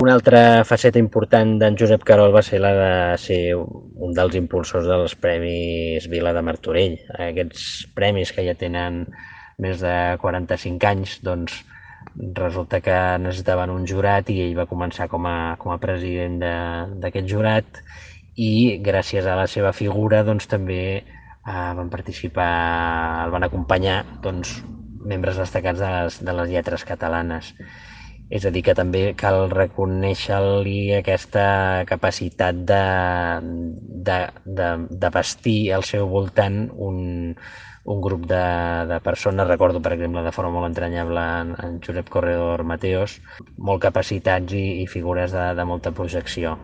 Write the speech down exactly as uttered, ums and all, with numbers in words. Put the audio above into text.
Una altra faceta important d'en Josep Carol va ser la de ser un dels impulsors dels Premis Vila de Martorell. Aquests premis que ja tenen més de quaranta-cinc anys, doncs resulta que necessitaven un jurat i ell va començar com a, com a president d'aquest jurat i gràcies a la seva figura doncs, també eh, van participar, el van acompanyar doncs, membres destacats de les, de les lletres catalanes. És a dir, que també cal reconèixer-li aquesta capacitat de, de, de, de vestir al seu voltant un, un grup de, de persones, recordo per exemple de forma molt entranyable en, en Josep Corredor Mateos, molt capacitats i, i figures de, de molta projecció.